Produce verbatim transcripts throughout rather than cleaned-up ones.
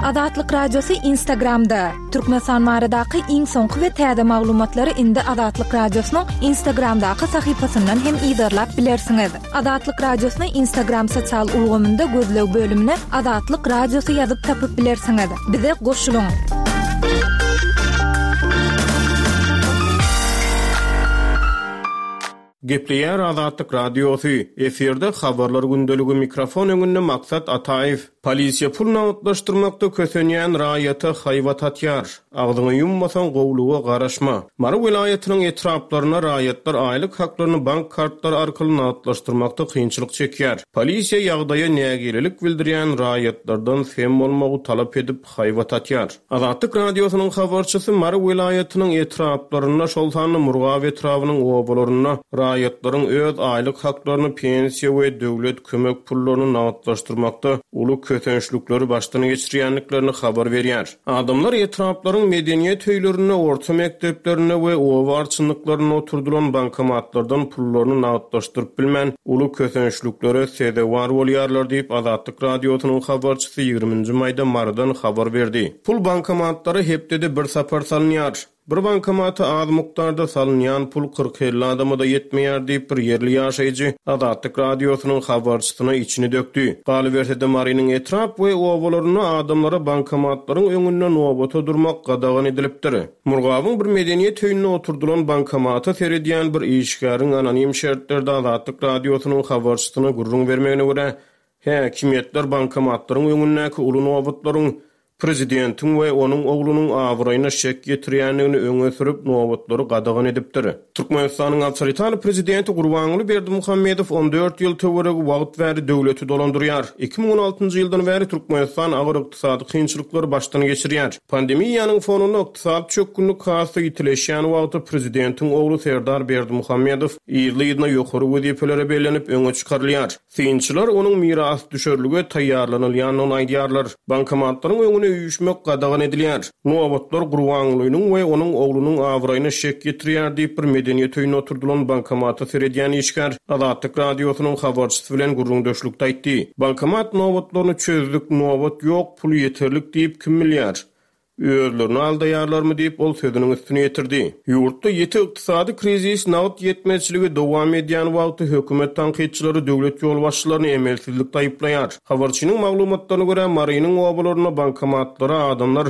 Azatlyk Radiosy Instagramda. Türkmenistan baradaky iň soňky we täze maglumatlary indi Azatlyk Radiosynyň Instagramdaky sahypasyndan hem yzarlap bilersiňiz. Azatlyk Radiosyny Instagram sosial ulgamynda gözleg bölümine Azatlyk Radiosy ýazyp tapyp bilersiňiz. Bize goşulyň. Gepleýär Azatlyk Radiosy. Efirde habarlar gündeligi mikrofon öňünde Maksat Ataýew. Polisiýa pul nagtlaşdyrmakda kösenýän raýata haýbat atýar. Agzyňy ýummasaň gowluga garaşma. Mary welaýatynyň etraplarynda raýatlar aýlyk haklaryny bank kartlary arkaly nagtlaşdyrmakda kynçylyk çekýär. Polisiýa ýagdaýa nägilelik bildirýän raýatlardan sem bolmagy talap edip haýbat atýar. Azatlyk Radiosynyň habarçysy Mary welaýatynyň etraplarynda, şol sanda Murgap etrabynyň obalarynda raýatlaryň öz aýlyk haklaryny, pensiýa we döwlet kömek pullaryny nagtlaşdyrmakda uly kösençlikleri başdan geçirýändiklerini habar berýär. Adamlar etraplaryň medeniýet öýlerinde, orta mekdeplerinde we oba arçynlyklarynda oturdylan bankomatlardan pullaryny nagtlaşdyryp bilmän, uly kösençliklere sezewar bolýarlar diýip Azatlyk Radiosynyň habarçysy ýigriminji maýda Marydan habar berdi. Pul bankomatlara hepdede bir sapar salynýar. Bir bankomata az mukdarda salynýan pul kyrk elli adama-da ýetmeýär diýip bir ýerli ýaşaýjy Azatlyk Radiosynyň habarçysyna içini dökdi. Galyberse-de Marynyň etrap we obalarynda adamlara bankomatlaryň öňünde nobata durmak gadagan edilipdir. Murgabyň bir medeniýet öýünde oturdylan bankomata seredýän bir işgäriň anonim şertlerde Azatlyk Radiosynyň habarçysyna gürrüň bermegine görä, häkimiýetler bankomatlaryň öňündäki uly nobatlaryň prezidentiň we onuň oglunyň abraýyna şek ýetirýändigini öňe sürüp nobatlary gadagan edipdir. Türkmenistanyň awtoritar prezidenti Gurbanguly Berdimuhamedow on dört ýyl töweregi wagt bäri döwleti dolandyrýar. Iki müň on altynjy ýyldan bäri Türkmenistan agyr ykdysady kynçylyklary başdan geçirýär. Pandemiýanyň fonunda ykdysady çökgünlik has-da ýitileşýän wagty prezidentiň ogly Serdar Berdimuhamedow ýyly-ýylyna ýokary wezipelere bellenip öňe çykarylýar. Synçylar onuň miras düşerlige taýýarlanylýandygyny aýdýarlar. Bankomatlaryň öňüne üýşmek gadagan edilýär. Nobatlar Gurbangulynyň we onuň oglunyň abraýyna şek ýetirýär diýip bir medeniýet öýünde oturdylan bankomata seredýän işgär Azatlyk Radiosynyň habarçysy bilen gürrüňdeşlikde aýtdy. Bankomat nobatlaryny çözdük, nobat ýok, pul ýeterlik diýip kim bilýär? Özlerini aldaýarlarmy diýip ol sözüniň üstüne ýetirdi. Ýurtda ýeti ykdysady krizis nagt ýetmezçiligi dowam edýän wagty hökümet tankytçylary döwlet ýolbaşçylaryny emelsizlikde aýyplaýar. Habarçynyň maglumatlaryna görä Marynyň obalarynda bankomatlara adamlar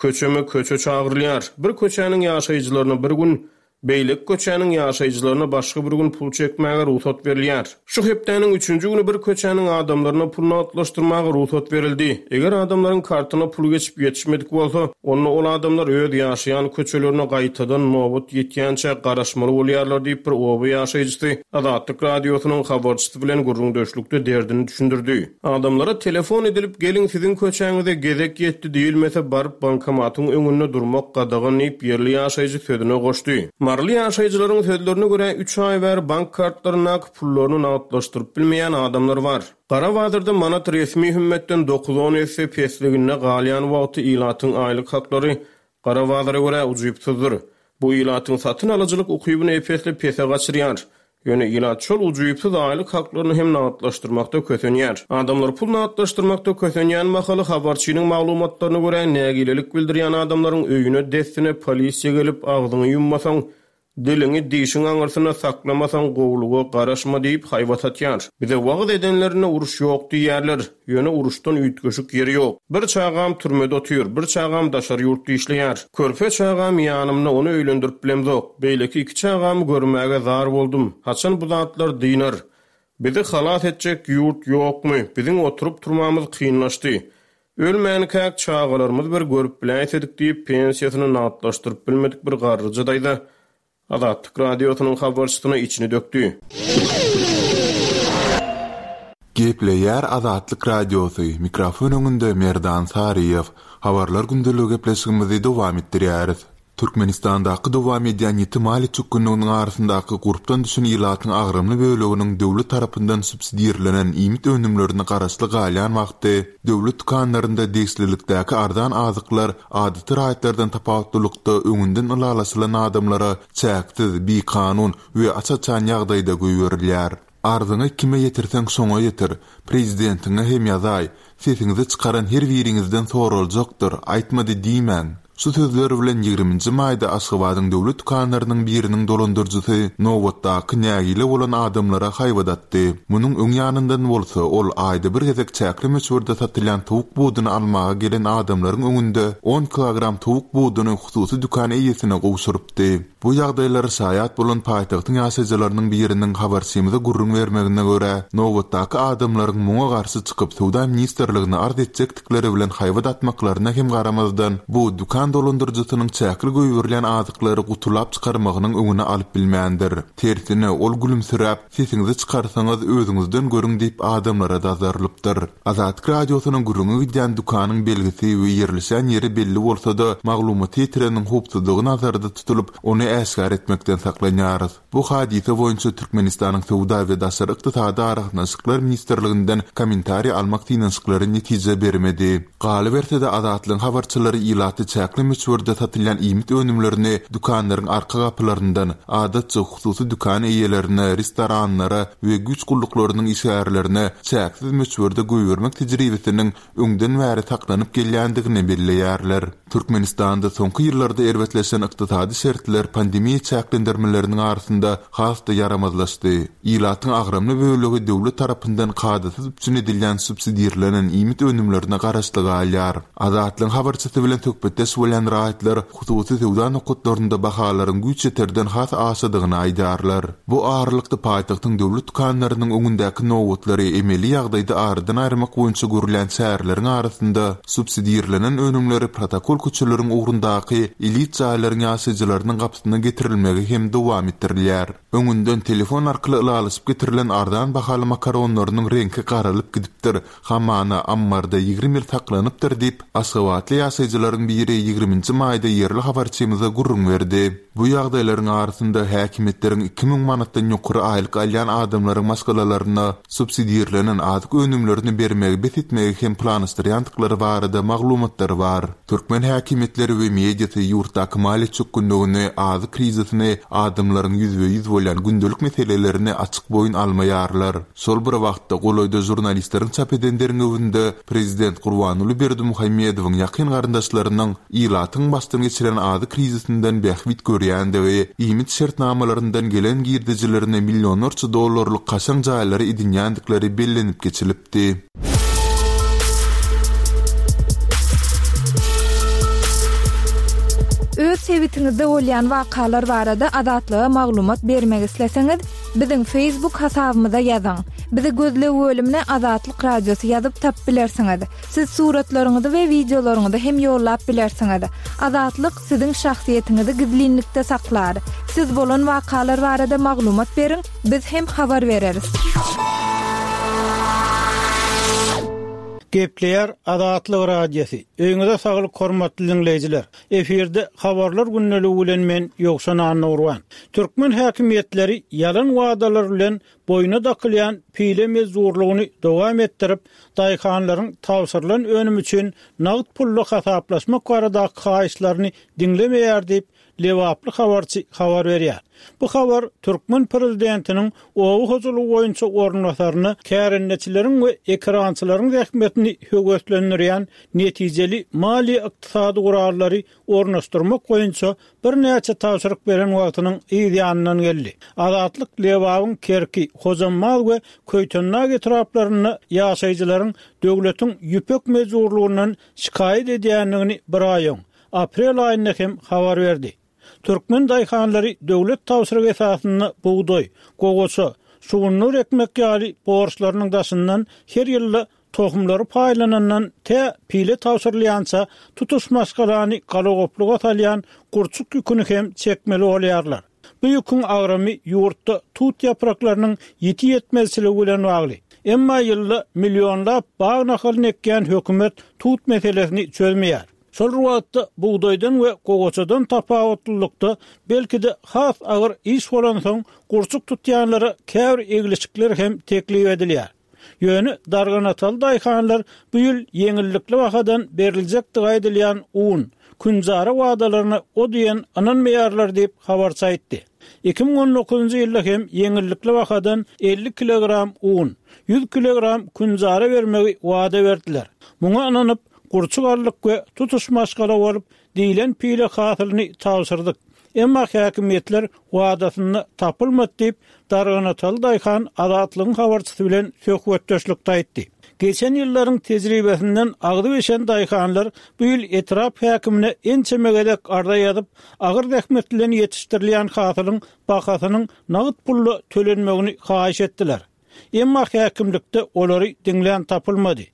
köçeme köçe çagyrylýar. Bir köçäniň ýaşaýjylaryna bir gün, beýleki köçäniň ýaşaýjylaryna başga bir gün pul çekmäge rugsat berilýär. Şu hepdäniň üçünji güni bir köçäniň adamlaryna pul nagtlaşdyrmaga rugsat berildi. Eger adamlaryň kartyna pul geçip ýetişmedik bolsa, onda ol adamlar öz ýaşaýan köçelerine gaýtadan nobat ýetýänçä garaşmaly bolýarlar diýip bir oba ýaşaýjysy Azatlyk Radiosynyň habarçysy bilen gürrüňdeşlikde derdini düşündirdi. Adamlara telefon edilip geliň siziň köçäňize gezek ýetdi diýilmese baryp bankomatyň öňünde durmak gadagan diýip ýerli ýaşaýjy sözüne goşdy. Maryly ýaşaýjylaryň sözlerine görä üç aý bäri bank kartlaryndaky pullaryny nagtlaşdyryp bilmeýän adamlar bar. Gara bazarda manat resmi hümmetden dokuz on esse pesliginde galýan wagty ilatyň aýlyk haklary gara bazara görä ujypsyzdyr. Bu ilatyň satyn alyjylyk ukybyny epesli pese gaçyrýar. Ýöne ilat şol ujypsyz aýlyk haklaryny hem nagtlaşdyrmakda kösenýär. Adamlar pul nagtlaşdyrmakda kösenýän mahaly habarçynyň maglumatlaryna görä nägilelik bildirýän adamlaryň öýüne dessine polisiýa gelip agzyňy ýummasaň, diliňi dişiň aňyrsyna saklamasaň gowluga garaşma diýip haýbat atýar. Bize wagyz edenlerine uruş ýok diýýärler. Ýöne uruşdan üýtgeşik ýeri ýok. Bir çagam türmede otyr, bir çagam daşary ýurtda işleýär. Körpe çagam ýanymda ony öýlendirip bilemzok. Beýleki iki çagamy görmäge zar boldum. Haçan bu zatlar dynar? Bizi halas etjek ýurt ýokmy? Biziň oturyp turmamyz kynlaşdy. Ölmänkäk çagalarymyz bir görüp biläýsedik diýip pensiýasyny nagtlaşdyryp bilmedik bir garryja daýza Azatlyk Radiosynyň habarçysyna içini dökdi. Gepleýär Azatlyk Radiosy, mikrofon öňünde Merdan Saryýew. Habarlar gündeligi gepleşigimizi dowam etdirýäris. Türkmenistandaky dowam edýän ýiti maliýe çökgünliginiň arasyndaky gurpdan düşen ilatyň agramly böleginiň döwlet tarapyndan subsidirlenen iýmit önümlerine garaşly galýan wagty döwlet dükanlarynda degişlilikdäki arzan azyklar adaty raýatlardan tapawutlylykda öňünden ylalaşylan adamlara çäksiz, bikanun we aç-açan ýagdaýda goýberilýär. Arzyňy kime ýetirseň şoňa ýetir, prezidentiňe hem ýazaý, sesiňizi çykaran her biriňizden soraljakdyr, aýtmady diýmäň. Şu sözler bilen ýigriminji maýda Aşgabadyň döwlet dükanlarynyň biriniň dolandyryjysy nobatdaky nägile bolan adamlara haýbat atdy. Munuň öň ýanyndan bolsa ol aýda bir gezek çäkli möçberde satylýan towuk buduny almaga gelen adamlaryň öňünde on kilogram towuk buduny hususy dükan eýesine gowşurypdy. Bu ýagdaýlara şaýat bolan paýtagtyň ýaşaýjylarynyň biriniň habarçymyza gürrüň bermegine görä, nobatdaky adamlaryň muňa garşy çykyp söwda ministrligine arz etjekdikleri bilen haýbat atmaklaryna hem garamazdan, bu dükan dolandyryjysynyň çäkli goýberilýän azyklary gutulap çykarmagynyň öňüni alyp bilmändir. Tersine ol gülümsiräp, sesiňizi çykarsaňyz özüňizden görüň diýip adamlara dazarlypdyr. Azatlyk radiosynyň gürrüňi gidýän dükanyň belgisi we ýerleşen ýeri belli bolsa-da, maglumaty ýetireniň howpsuzlygy nazarda tutulyp, ony äşgär etmekden saklanýarys. Bu hadysa boýunça Türkmenistanyň Söwda we Daşary ykdysady aragatnaşyklar ministrliginden kommentariý almak synanyşyklary netije bermedi. Galyberse-de Azatlygyň habarçylary ilaty çäkli möçberde satylýan iýmit önümlerini dükanlaryň arka gapylaryndan, adatça hususy dükan eýelerine, restoranlara we güýç gulluklarynyň işgärlerine çäksiz möçberde goýbermek tejribesiniň öňden bäri saklanyp gelýändigini belleýärler. Türkmenistanda soňky ýyllarda erbetleşen ykdysady şertler pandemiýa çäklendirmeleriniň arasynda has-da ýaramazlaşdy. Ilatyň agramly bölegi döwlet tarapyndan kadasyz üpjün edilýän subsidirlenen iýmit önümlerine garaşly galýar. Azatlygyň habarçysy bilen söhbetdeş bolýan raýatlar hususy söwda nokatlarynda bahalaryň güýç ýeterden has aşadygyny aýdarlar. Bu aralykda paýtagtyň döwlet dükanlarynyň öňündäki nobatlary emeli ýagdaýda aradan aýyrmak boýunça görülýän çäreleriň arasynda subsidirlenen önümleri protokol köçeleriň ugrundaky elit jaýlaryň ýaşaýjylarynyň gapysyna getirilmegi hem dowam etdirilýär. Öňünden telefon arkaly ylalaşyp getirilen arzan bahaly makaronlarynyň reňki garalyp gidipdir. Hamana ammarda ýigrimi ýyl saklanypdyr diýip, Aşgabatly ýaşaýjylaryň biri ýigriminji maýda ýerli habarçymyza gürrüň berdi. Bu ýagdaýlaryň arasynda häkimiýetleriň iki müň manatdan ýokary aýlyk alýan adamlaryň maşgalalaryna subsidirlenen azyk önümlerini bermegi bes etmegi hem planlaşdyrýandyklary barada maglumatlar bar. Türkmen häkimiýetleri we mediasy ýurtdaky maliýe çökgünligini, azyk krizisini, adamlaryň ýüzbe-ýüz bolýan gündelik meselelerini açyk boýun almaýarlar. Şol bir wagtda golaýda žurnalistleriň çap eden derňewinde prezident Gurbanguly Berdimuhamedowyň ýakyn garyndaşlarynyň ilatyň başdan geçiren azyk krizisinden bähbit görýändigi, iýmit şertnamalaryndan gelen girdejilerine millionlarça dollarlyk kaşaň jaýlary edinýändikleri bellenip geçilipdi. Öz sebitiňizde bolýan wakalar barada Azatlyga maglumat bermek isleseňiz, biziň Facebook hasabymyza ýazyň. Bizi gözleg bölümine Azatlyk radiosy ýazyp tap bilersiňiz. Siz suratlaryňyzy we wideolaryňyzy hem ýollap bilersiňiz. Azatlyk siziň şahsyýetiňizi gizlinlikde saklar. Siz bolan wakalar barada maglumat beriň, biz hem habar bereris. Gepleýär Azatlyk radiosy. Öýüňize saglyk hormatly dinleýjiler. Efirde habarlar gündeligi bilen men Ýowşan Annurwan. Türkmen häkimiýetleri ýalan wadalar bilen boýuna dakylýan pile mezurlygyny dowam etdirip, daýhanlaryň tabşyrylan önüm üçin nagt pully hasaplaşmak baradaky haýyşlaryny diňlemeýär diýip Lebaply habarçy habar berýär. Bu habar Türkmen prezidentiniň oba hojalygy boýunça orunbasaryna kärendeçileriň we ekrançylaryň zähmetini höweslendirýän netijeli maliýe ykdysady gurallary ornaşdyrmak boýunça birnäçe tabşyryk beren wagtynyň yz ýanyndan geldi. Azatlyk Lebabyň Kerki, Hojambaz we Köýtendag etraplarynda ýaşaýjylaryň döwletiň ýüpek mejburlygyndan şikaýat edýändigini bir aý öň, aprel aýynda hem habar berdi. Türkmen daýhanlary döwlet tabşyrygy esasynda bugdaý, gowaça, şugundyr ekmek ýaly borçlarynyň daşyndan her ýylda tohumlary paýlanandan tä pile tabşyrylýança tutuş maşgalany galagopluga salýan gurçuk ýüküni hem çekmeli bolýarlar. Bu ýüküň agramy ýurtda tut ýapraklarynyň ýiti ýetmezçiligi bilen bagly. Emma ýylda millionlap bag nahalyny ekýän hökümet tut meselesini çözmeýär. Şol wagtda bugdaýdan we gowaçadan tapawutlylykda belki-de has agyr iş bolansoň gurçuk tutýanlara käbir eglişikler hem teklip edilýär. Ýöne darganataly daýhanlar bu ýyl ýeňillikli bahadan beriljekdigi aýdylýan un, künjara wadalaryna o diýen ynanmaýarlar diýip habarçy aýtdy. Iki müň on dokuzynjy ýylda hem ýeňillikli bahadan elli kilogram un, ýüz kilogram künjara bermegi wada berdiler. Muňa ynanyp, gurçuk aldyk we tutuş maşgala bolup diýlen pile hasylyny tabşyrdyk. Emma häkimiýetler wadasynda tapylmady diýip, Darganataly daýhan Azatlygyň habarçysy bilen söhbetdeşlikde aýtdy. Geçen ýyllaryň tejribesinden agzy bişen daýhanlar bu ýyl etrap häkimine ençeme gezek arza ýazyp, agyr zähmet bilen ýetişdirilýän hasylyň bahasynyň nagt pulla tölenmegini haýyş etdiler. Emma häkimlikde olary diňlän tapylmady.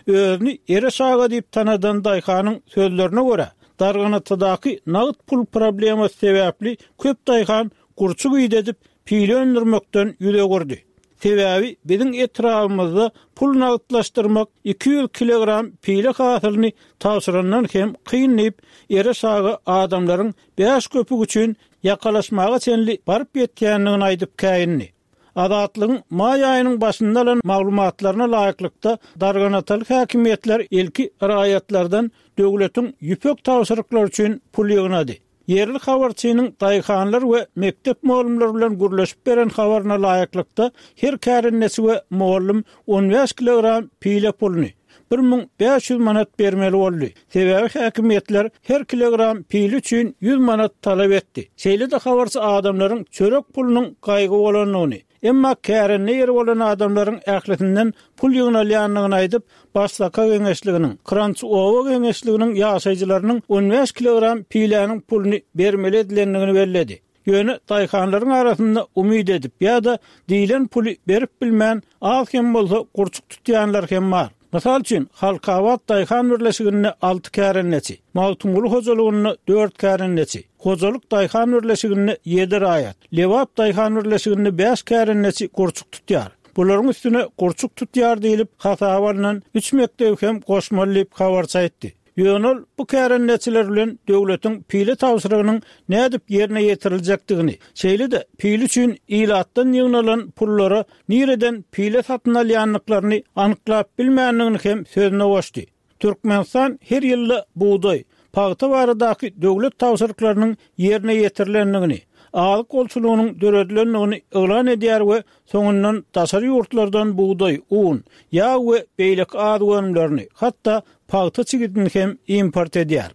Özüni Ereş aga diýip tanadan daýhanyň sözlerine görä, Darganatadaky nagt pul problemasy sebäpli köp daýhan gurçuk idedip, pile öndürmekden ýüz öwürdi. Sebäbi biziň etrabymyzda pul nagtlaşdyrmak iki ýüz kilogram pile hasylyny tabşyrandan hem kyn diýip, Ereş aga adamlaryň bäş köpük üçin ýakalaşmaga çenli baryp ýetýändigini aýdyp käýindi. Azatlygyň maý aýynyň başynda alan maglumatlaryna laýyklykda Darganataly häkimiýetler ilki raýatlardan döwletiň ýüpek tabşyryklary üçin pul ýygnady. Ýerli habarçynyň daýhanlar we mekdep mugallymlary bilen gürleşip beren habaryna laýyklykda her kärendeçi we mugallym on bäş kilogram pile puluny bir müň bäş ýüz manat bermeli boldy. Sebäbi häkimiýetler her kilogram pile üçin ýüz manat talap etdi. Şeýle-de habarçy adamlaryň çörek pulunyň gaýgy bolandygyny, emma kärende ýeri bolan adamlaryň ählisinden pul ýygnalýandygyny aýdyp, Başsaka geňeşliginiň, Kranç oba geňeşliginiň ýaşaýjylarynyň on bäş kilogram piläniň puluny bermeli edilendigini belledi. Ýöne daýhanlaryň arasynda umyt edip ýa-da diýlen puly berip bilmän az hem bolsa gurçuk tutýanlar hem bar. Mysal üçin, Halkabat daýhan birleşiginde alty kärendeçi, Magtymguly hojalygynda dört kärendeçi, Hojalyk daýhan birleşiginde ýedi raýat, Lebap daýhan birleşiginde bäş kärendeçi gurçuk tutýar. Bularyň üstüne gurçuk tutýar diýlip hasaba alnan üç mekdebi hem goşmaly diýip habarçy aýtdy. Ýöne ol bu kärendeçiler bilen döwletiň pile tabşyrygynyň nädip ýerine ýetiriljekdigini, şeýle-de pile üçin ilatdan ýygnalan pullara nireden pile satyn alýandyklaryny anyklap bilmändigini hem sözüne goşdy. Türkmenistan her ýylda bugdaý, pagta baradaky döwlet tabşyryklarynyň ýerine ýetirilendigini, azyk bolçulygynyň döredilendigini yglan edýär we soňundan daşary ýurtlardan bugdaý, un, ýag we beýleki azyk önümlerini, hatda pagta çigidini hem import edýär.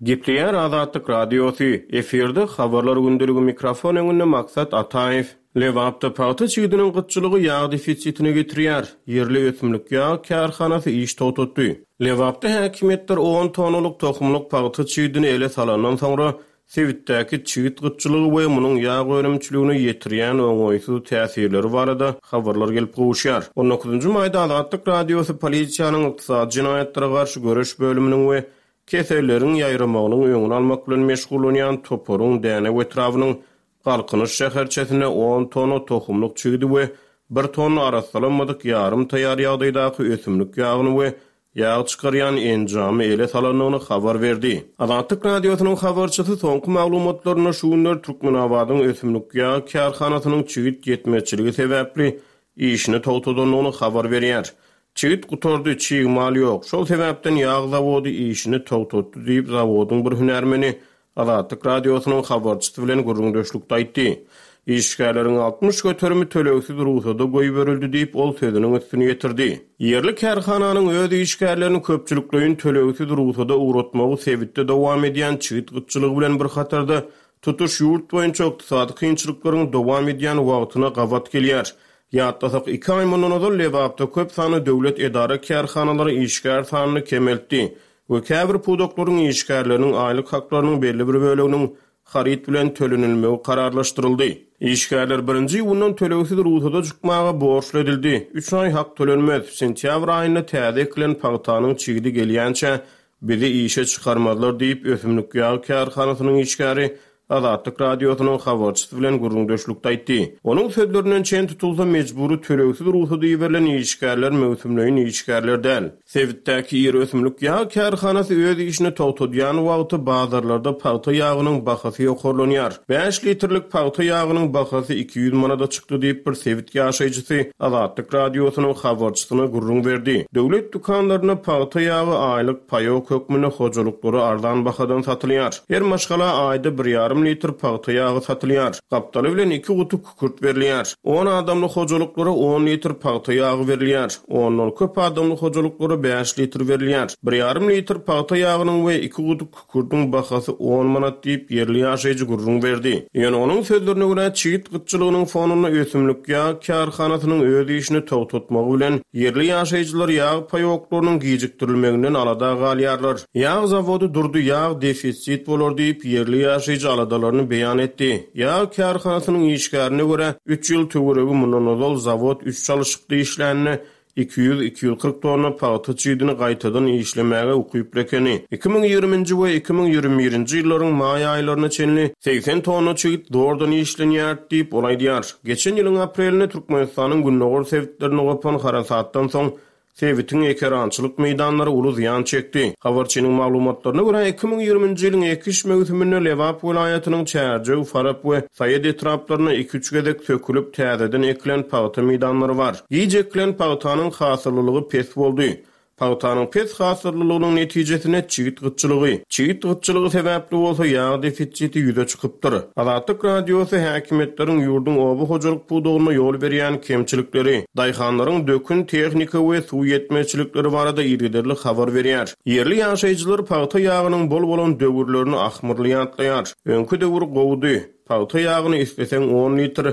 Gepleýär Azatlyk Radiosy, efirde habarlar gündeligi mikrofon öňünde Maksat Ataýew. Lebapda pagta çigidiniň gytçylygy ýag defisitine getirýär. Ýerli ösümlik ýag kärhanasy iş togtatdy. Lebapda häkimiýetler on tonnalyk tohumlyk pagta çigidini ele salandan soňra sebitdäki çigit gytçylygy we munuň ýag önümçiligine ýetirýän oňaýsyz täsirleri barada habarlar gelip gowuşýar. on dokuzynjy maýda Azatlyk Radiosy polisiýanyň ykdysady jenaýatlara garşy göreş bölüminiň we keselleriň ýaýramagynyň öňüni almak bilen meşgullanýan toparyň Dänew etrabynyň Galkynyş şäherçesinde on tonna tohumlyk çigidi we bir tonna arassalanmadyk ýarym taýýar ýagdaýdaky ösümlik ýagyny we ýag çykarýan enjamy ele salandygyny habar berdi. Azatlyk Radiosynyň habarçysy soňky maglumatlarynda şu günler Türkmenabadyň ösümlik ýag kärhanasynyň çigit ýetmezçiligi sebäpli işini togtadandygyny habar berýär. Çigit gutardy, çig mal ýok. Şol sebäpden ýag zawody işini togtatdy diýip zawodyň bir hünärmeni Azatlyk Radiosynyň habarçysy bilen gürrüňdeşlikde aýtdy. Işgärleriň altmyş göterimi tölegsiz rugsada goýberildi diýip ol sözüniň üstüni ýetirdi. Ýerli kärhananyň öz işgärlerini köpçülikleýin tölegsiz rugsada ugratmagy sebitde dowam edýän çigit gytçylygy bilen bir hatarda tutuş ýurt boýunça ykdysady kynçylyklaryň dowam edýän wagtyna gabat gelýär. Ýatlasak iki aý mundan ozal Lebapda köp sanly döwlet edara kärhanalary işgär sanyny kemeltdi we käbir pudaklaryň işgärleriniň aýlyk haklarynyň belli bir böleginiň haryt bilen tölenilmegi kararlaşdyryldy. Işgärler birinji iýundan tölegsiz rugsada çykmaga borçly edildi. Üç aý hak tölenmez. Sentýabr aýynda täze ekilen pagtanyň çigidi gelýänçä bizi işe çykarmazlar diýip ösümlik ýag kärhanasynyň işgäri Azatlyk Radiosynyň habarçysy bilen gürrüňdeşlikde aýtdy. Onuň sözlerinden çen tutulsa, mejbury tölegsiz rugsat iberilen işgärler möwsümleýin işgärler däl. Sebitdäki iri ösümlik ýag kärhanasy öz işini togtadýan wagty bazarlarda pagta ýagynyň bahasy ýokarlanýar. Bäş litrlik pagta ýagynyň bahasy iki ýüz manada çykdy diýip, bir sebit ýaşaýjysy Azatlyk Radiosynyň habarçysyna gürrüň berdi. Döwlet dükanlarynda pagta ýagy aýlyk paýok hökmünde hojalyklara arzan bahadan satylýar. Her maşgala aýda bir ýarym litr pagta ýagy satylýar. Gapdaly bilen iki guty kükürt berilýär. On adamly hojalyklara on litr pagta ýagy berilýär. Ondan köp adamly hojalyklara bäş litr berilýär. Bir ýarym litr pagta ýagynyň we iki guty kükürdiň bahasy on manat diýip, ýerli ýaşaýjy gürrüň berdi. Ýöne onuň sözlerine görä, çigit gytçylygynyň fonunda ösümlik ýag kärhanasynyň öz işini togtatmagy bilen ýerli ýaşaýjylar ýag paýoklarynyň gijikdirilmeginden alada galýarlar. Ýag zawody durdy, ýag defisit bolar diýip, ýerli ýaşaýjy aladalaryny beýan etdi. Ýag kärhanasynyň işgärine görä, üç ýyl töweregi mundan ozal zawod üç çalyşykda işlände iki ýüz, iki ýüz kyrk tonna pagta çigidini gaýtadan işlemäge ukyply ekeni. Iki müň ýigriminji we iki müň ýigrimi birinji ýyllaryň maý aýlaryna çenli segsen tonna çigit zordan işlenýär diýip, ol aýdýar. Geçen ýylyň aprelinde Türkmenistanyň gündogar sebitlerinde gopan harasatdan soň sebitiň ekerançylyk meýdanlary uly zyýan çekdi. Habarçynyň maglumatlaryna görä, iki müň ýigriminji ýylyň ekiş möwsüminde Lebap welaýatynyň Çärjew, Farap we Saýat etraplarynda iki-üç gezek sökülip täzeden ekilen pagta meýdanlary bar. Giç ekilen pagtanyň hasyllylygy pes boldy. Pagtanyň pes hasyllylygynyň netijesinde çigit gytçylygy, çigit gytçylygy sebäpli bolsa ýag defisiti ýüze çykypdyr. Azatlyk Radiosy häkimiýetleriň ýurduň oba hojalyk pudagynda ýol berýän kemçilikleri, daýhanlaryň dökün tehnika we suw ýetmezçilikleri barada yzygiderli habar berýär. Ýerli ýaşaýjylar pagta ýagynyň bol bolan döwürlerini ahmyrly ýatlaýar. Öňki döwür gowudy. Pagta ýagyny isleseň on litr,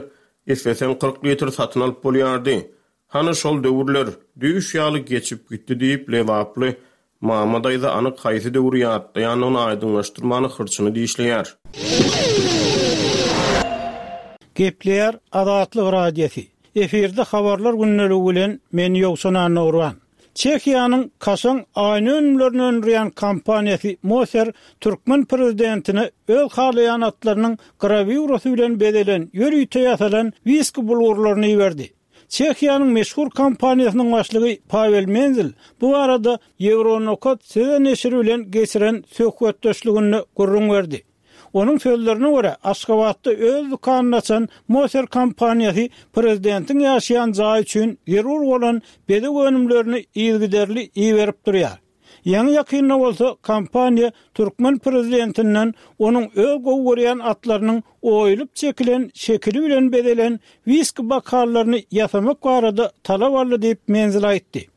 isleseň kyrk litr satyn alyp bolýardy. Hany şol döwürler düýş ýaly geçip gitdi diýip, Lebaply Mama daýza anyk haýsy döwri ýatlaýandygyny aýdyňlaşdyrmany hyrçyny dişleýär. Gepleýär Azatlyk Radiosy. Efirde habarlar gündeligi bilen men Ýowşan Annagurban. Çehiýanyň kaşaň aýna önümlerini öndürýän kompaniýasy Moser türkmen prezidentine öz halaýan atlarynyň grawýurasy bilen bezelen ýörite ýasalan wiski bulgurlaryny iberdi. Çehiýanyň meşhur kompaniýasynyň başlygy Pavel Menzel bu arada Euronokat söze neşiri bilen geçiren söhbetdeşliginde gürrüň berdi. Onuň sözlerine görä, Aşgabatda öz dükanyny açan Moser kompaniýasy prezidentiň ýaşaýan jaýy üçin zerur bolan bezeg önümlerini yzygiderli iberip durýar. Ýaňy ýakynda bolsa kompaniýa türkmen prezidentinden onuň öz gowy görýän atlarynyň oýulyp çekilen şekili bilen bezelen wiski bokallaryny ýasamak barada talap aldy diýip Menzel aýtdy.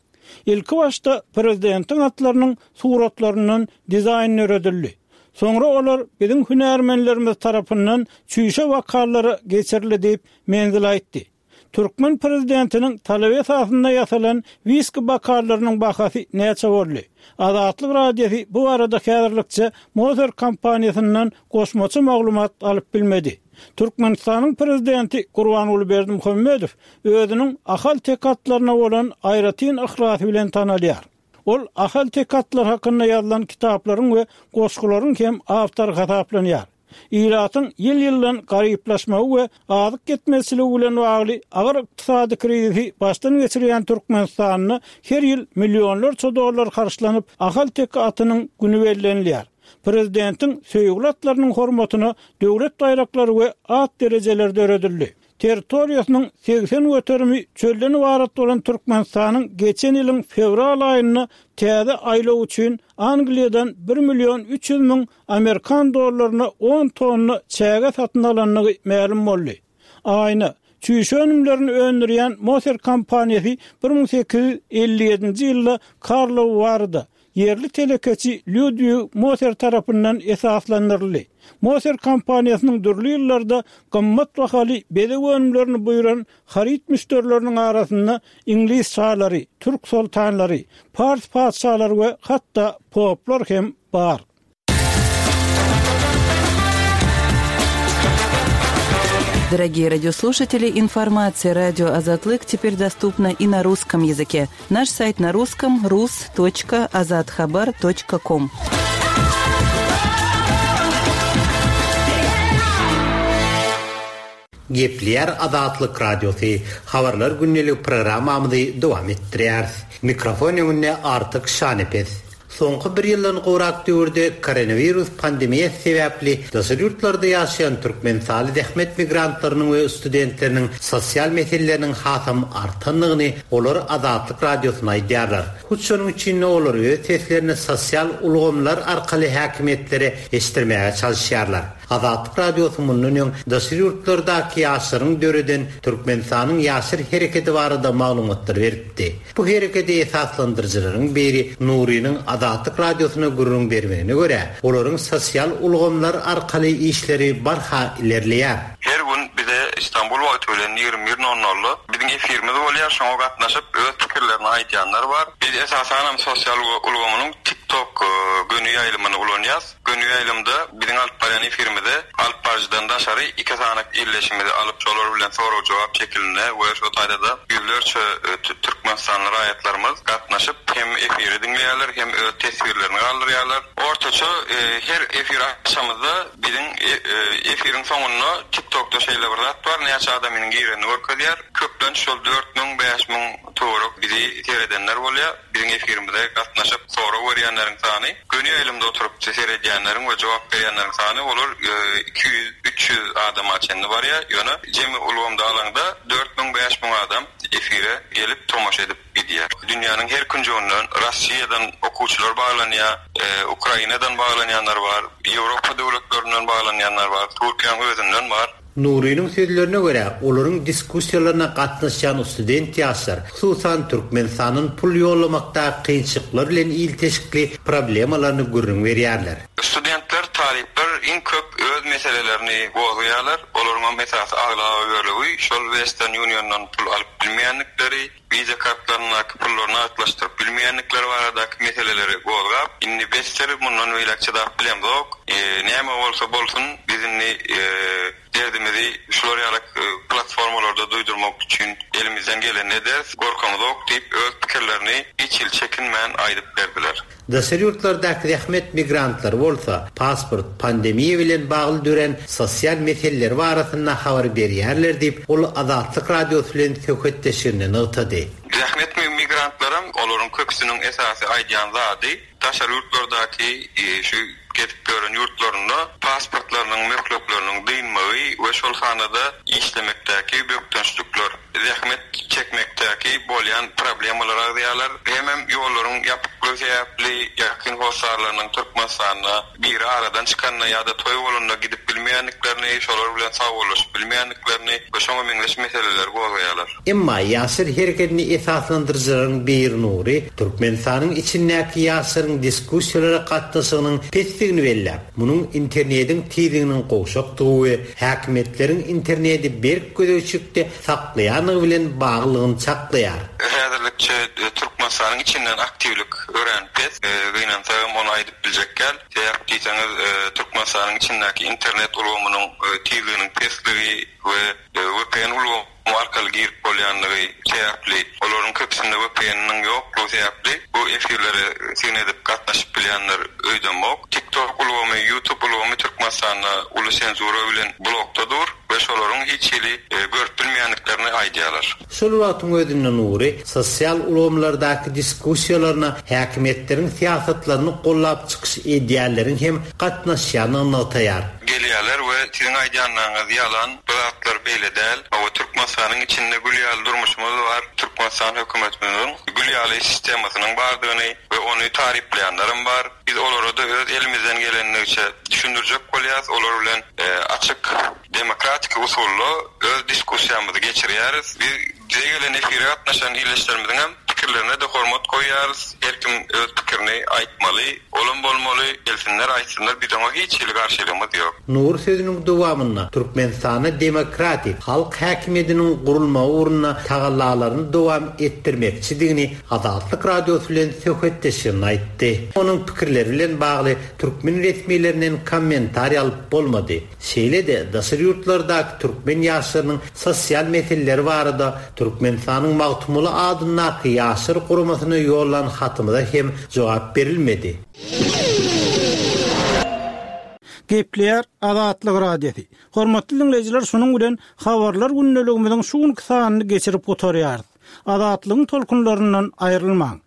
Ilki başda prezidentiň atlarynyň suratlaryndan dizaýn döredildi. Soňra olar biziň hünärmenlerimiz tarapyndan çüýşe bokallara geçirildi diýip Menzel aýtdy. Türkmen prezidentiniň talaby esasynda ýasalan wiski bokallarynyň bahasy näçe boldy? Azatlyk Radiosy bu arada häzirlikçe Moser kompaniýasyndan goşmaça maglumat alyp bilmedi. Türkmenistanyň prezidenti Gurbanguly Berdimuhamedow özüniň ahal-teke atlaryna bolan aýratyn yhlasy bilen tanalýar. Ol ahal-teke atlar hakynda ýazylan kitaplaryň we goşgularyň hem awtory hasaplanýar. Ilatyň ýyl-ýyldan garyplaşmagy we azyk ýetmezçiligi bilen bagly agyr ykdysady krizisi başdan geçirýän Türkmenistanda her ýyl millionlarça dollar harçlanyp ahal-teke atynyň günü bellenilýär. Prezidentiň söýgüli atlarynyň hormatyna döwlet baýraklary we at derejeleri döredildi. Territoriýasynyň segsen göterimi çölden ybarat bolan Türkmenistanyň geçen ýylyň fewral aýynda täze aýlaw üçin Angliýadan bir million üç ýüz müň Amerikan dollaryna on tonna çäge satyn alandygy mälim boldy. Aýna, çüýşe önümlerini öndürýän Moser kompaniýasy bir müň sekiz ýüz elli ýedinji ýylda Karlow Waryda ýerli telekeçi Ludwig Moser tarapyndan esaslandyryldy. Moser kompaniýasynyň dürli ýyllarda gymmat bahaly bezeg önümlerini buýran haryt müşderileriniň arasynda iňlis şalary, türk soltanlary, pars patyşalary we hatda poplar hem bar. Дорогие радиослушатели, информация радио Азатлык теперь доступна и на русском языке. Наш сайт на русском рус точка азатхабар точка ком. Gepleýär Azatlyk Radiosy. Habarlar gündelik programmamyzy dowam etdirýäris. Mikrofon öňünde Artyk Şanepes. Soňky bir ýyldan gowrak döwürde koronawirus pandemiýasy sebäpli daşary ýurtlarda ýaşaýan Türkmenistanly zähmet migrantlarynyň we studentleriniň sosial meseleleriniň hasam artandygyny olar Azatlyk Radiosyna aýdýarlar. Hut şonuň üçin olar öz seslerini sosial ulgamlar arkaly häkimiýetlere eşitdirmäge çalışýarlar. Azatlyk Radiosy mundan öň daşary ýurtlardaky ýaşlaryň döreden Türkmenistanyň ýaşlar hereketi barada maglumatlar beripdi. Bu hereketi esaslandyryjylaryň biri Nuriniň Azatlyk Radiosyna gürrüň bermegine görä, olaryň sosial ulgamlar arkaly işleri barha ilerleýär. Her gün bize İstanbul wagty bilen ýigrimi bir nol nolda biziň efirimiz bolýar, şoňa gatnaşyp öz pikirlerini aýdýanlar bar. Biz esasanam sosial ulgamynyň TikTok göni ýaýlymyny ulanýarys. Göni ýaýlymda biziň alyp barýan efirimize alyp baryjydan daşary iki sany illeşimizi alyp, şolar bilen sorag jogap şekilinde we şo taýda da ýüzlerçe Türkmenistanly raýatlarymyz gatnaşyp hem efiri diňleýärler, hem öz teswirlerini galdyrýarlar. Ortaça her efir açamyzda biziň efiriň soňunda TikTokda şeýle bir zat bar, näçe adamyň girenini görkezýär. Köplenç şol dört müň, bäş müň töwerek bizi seyredenler bolýar. Biziň efirimize gatnaşyp sorag berýänleriň sany, göni ýaýlymda oturyp seyredýänleriň we jogap berýänleriň sany olar iki ýüz, üç ýüz adama çenli barýar. Ýöne jemi ulgamda alanda dört müň, bäş müň adam efire gelip tomaşa edip gidýär. Dünýäniň her künjeginden, Russiýadan okuwçylar baglanýar, Ukrainadan baglanýanlar bar, Ýewropa döwletlerinden baglanýanlar bar, Türkiýäniň özünden bar. Nuriniň sözlerine görä, olaryň diskussiýalaryna gatnaşýan student ýaşlar, hususan Türkmenistanyň pul ýollamakda kynçylyklar bilen ilteşikli problemalaryny gürrüň berýärler. Studentler, talyplar iň köp öz meselelerini gozgaýarlar. Olaryň hem esasy aglaba bölegi şol Western Union'dan pul alyp bilmeýändikleri, Visa kartlaryndaky pullaryny atlaşdyryp bilmeýändikleri baradaky meseleleri gozgap, indi besser mundan beýläk çydap bilemzok. Näme bolsa bolsun, biz indi derdimizi şular ýaly platformalarda duýdurmak üçin elimizden gelen ederiz, gorkamyzok diýip öz pikirlerini hiç hil çekinmän aýdyp berdiler. Daşary ýurtlardaky zähmet migrantlary bolsa pasport pandemiýa bilen bagly dören sosial meseleler barasynda habar berýärler diýip, ol Azatlyk Radiosy bilen söhbetdeşliginde nygtady. Zähmet migrantlaram olaryň köpüsiniň esasy aýdýan zady daşary ýurtlardaky şu gezip gören ýurtlarynda pasportlarynyň möhletleriniň dynmagy we şol sanada işlemekdäki bökdençlikler, zähmet çekmekdäki bolýan problemalar agzaýarlar. Hemem ýollaryň ýapyklygy sebäpli ýakyn hossarlarynyň Türkmenistanda biri aradan çykanda ýa-da toý bolanda gidip bilmeýändiklerini, şolar bilen sagbollaşyp bilmeýändiklerini we şoňa meňzeş meseleleri gozgaýarlar. Emma ýaşlar hereketini esaslandyryjylaryň biri Nuri Türkmenistanyň içindäki ýaşlaryň diskussiýalara gatnaşygynyň pesdigini belläp, munuň internetiň tizliginiň gowşakdygy we häkimiýetleriň interneti berk gözegçilikde saklaýandygy bilen baglylygyny çaklaýar. Häzirlikçe Türkmenistanyň içinden aktiwlik örän pes, gynansagam ony aýdyp biljek gel. Sebäp diýseňiz, Türkmenistanyň içindäki internet ulgamynyň tizliginiň pesligi we V P N ulgamy arkaly girip bolýandygy sebäpli, olaryň köpüsinde V P N-niň ýoklugy sebäpli bu efirlere syn edip gatnaşyp bilýänler öýdemok. TikTok ulgamy, YouTube ulgamy Türkmenistanda uly senzura bilen blokda dur we şolaryň hiç hili görüp bilmeýändiklerini aýdýarlar. Şol wagtyň özünde Nuri sosial ulgamlardaky diskussiýalaryna häkimiýetleriň syýasatlaryny gollap çykyş edýänleriň hem gatnaşýanyny nygtaýar. Gelýärler we siziň aýdýanlaryňyz ýalan, bu zatlar beýle däl. Hawa, Türkmenistanyň içinde gül ýaly durmuşymyz bar. Türkmenistan hökümetimiziň gül ýaly sistemasynyň bardygyny we ony taryplaýanlarym bar. Biz olara da öz elimizden gelendigiçe düşündirjek bolýarys. Olar bilen açyk demokratik usulda öz diskussiýamyzy geçirýäris. Biz bize gelen efire gatnaşan illeşlerimiziň hem pikirlerine de hormat goýýarys. Her kim öz pikirini aýtmaly, olam bolmaly, gelsinler aýtsynlar, biz oňa hiç hili garşylygymyz ýok. Nur sözüniň dowamynda Türkmenistanda demokratik halk häkimiýetiniň gurulmagy ugrunda tagallalaryny dowam etdirmekçidigini Azatlyk Radiosy bilen söhbetdeşliginde aýtdy. Onuň pikirleri bilen bagly türkmen resmilerinden kommentariý alyp bolmady. Şeýle-de daşary ýurtlardaky türkmen ýaşlarynyň sosial meseleleri barada Türkmenistanyň Magtymguly adyndaky ýaşlar guramasyna ýollan hatymyza hem jogap berilmedi. Gepleýär Azatlyk Radiosy. Hormatly diňleýjiler, şunuň bilen habarlar gündeligimiziň şu günki sanyny geçirip gutarýarys. Azatlygyň tolkunlaryndan aýrylmaň.